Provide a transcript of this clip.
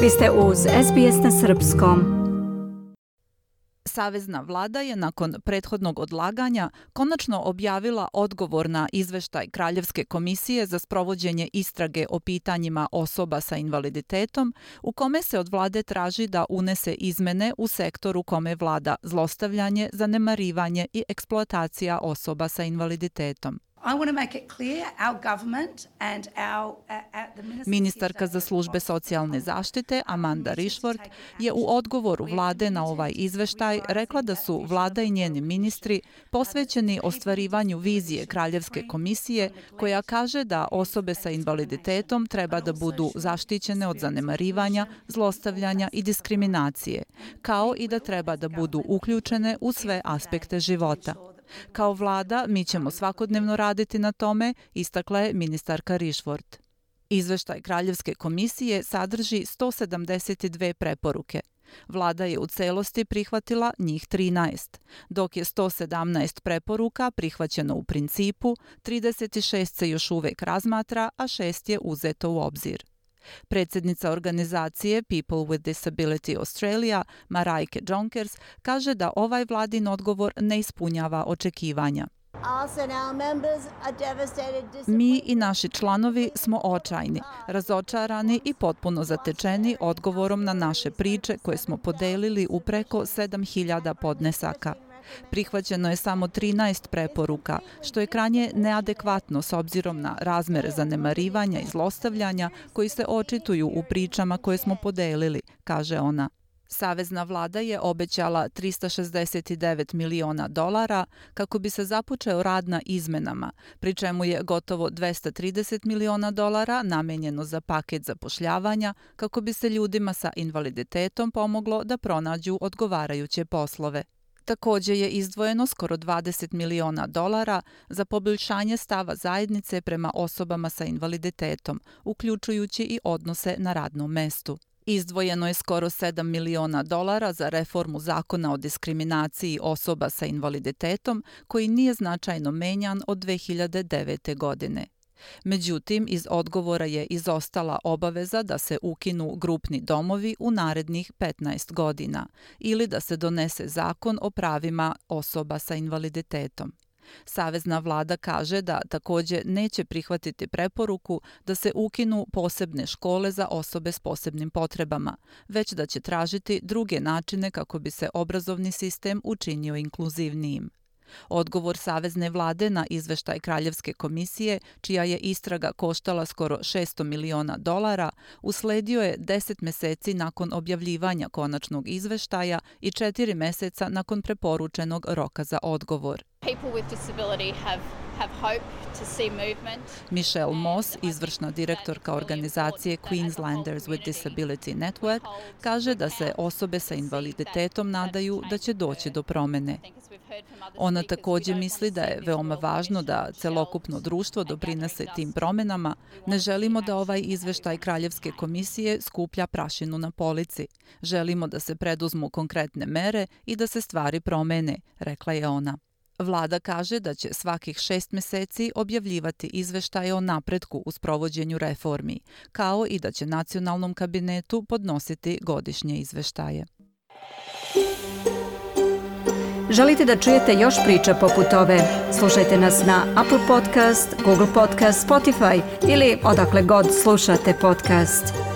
Vi ste uz SBS na srpskom. Savezna vlada je nakon prethodnog odlaganja konačno objavila odgovor na izveštaj Kraljevske komisije za sprovođenje istrage o pitanjima osoba sa invaliditetom, u kome se od vlade traži da unese izmene u sektoru kome vlada zlostavljanje, zanemarivanje i eksploatacija osoba sa invaliditetom. Ministarka za službe socijalne zaštite Amanda Rishworth je u odgovoru vlade na ovaj izveštaj rekla da su vlada i njeni ministri posvećeni ostvarivanju vizije Kraljevske komisije koja kaže da osobe sa invaliditetom treba da budu zaštićene od zanemarivanja, zlostavljanja i diskriminacije, kao i da treba da budu uključene u sve aspekte života. Kao vlada, mi ćemo svakodnevno raditi na tome, istakla je ministarka Rishworth. Izveštaj Kraljevske komisije sadrži 172 preporuke. Vlada je u celosti prihvatila njih 13, dok je 117 preporuka prihvaćeno u principu, 36 se još uvek razmatra, a 6 je uzeto u obzir. Predsjednica organizacije People with Disability Australia, Maraike Jonkers, kaže da ovaj vladin odgovor ne ispunjava očekivanja. Mi i naši članovi smo očajni, razočarani i potpuno zatečeni odgovorom na naše priče koje smo podelili u preko 7.000 podnesaka. Prihvaćeno je samo 13 preporuka, što je krajnje neadekvatno s obzirom na razmere zanemarivanja i zlostavljanja koji se očituju u pričama koje smo podelili, kaže ona. Savezna vlada je obećala $369 miliona kako bi se započeo rad na izmenama, pri čemu je gotovo $230 miliona namenjeno za paket zapošljavanja kako bi se ljudima sa invaliditetom pomoglo da pronađu odgovarajuće poslove. Također je izdvojeno skoro $20 miliona za poboljšanje stava zajednice prema osobama sa invaliditetom, uključujući i odnose na radnom mestu. Izdvojeno je skoro $7 miliona za reformu zakona o diskriminaciji osoba sa invaliditetom, koji nije značajno menjan od 2009. godine. Međutim, iz odgovora je izostala obaveza da se ukinu grupni domovi u narednih 15 godina ili da se donese zakon o pravima osoba sa invaliditetom. Savezna vlada kaže da također neće prihvatiti preporuku da se ukinu posebne škole za osobe s posebnim potrebama, već da će tražiti druge načine kako bi se obrazovni sistem učinio inkluzivnijim. Odgovor savezne vlade na izveštaj Kraljevske komisije, čija je istraga koštala skoro $600 miliona, usledio je 10 meseci nakon objavljivanja konačnog izveštaja i 4 meseca nakon preporučenog roka za odgovor. Michelle Moss, izvršna direktorka organizacije Queenslanders with Disability Network, kaže da se osobe sa invaliditetom nadaju da će doći do promene. Ona također misli da je veoma važno da celokupno društvo doprinese tim promenama. Ne želimo da ovaj izveštaj Kraljevske komisije skuplja prašinu na polici. Želimo da se preduzmu konkretne mere i da se stvari promene, rekla je ona. Vlada kaže da će svakih 6 meseci objavljivati izveštaje o napretku u sprovođenju reformi, kao i da će nacionalnom kabinetu podnositi godišnje izveštaje. Želite da čujete još priča poput ove? Slušajte nas na Apple Podcast, Google Podcast, Spotify ili odakle god slušate podcast.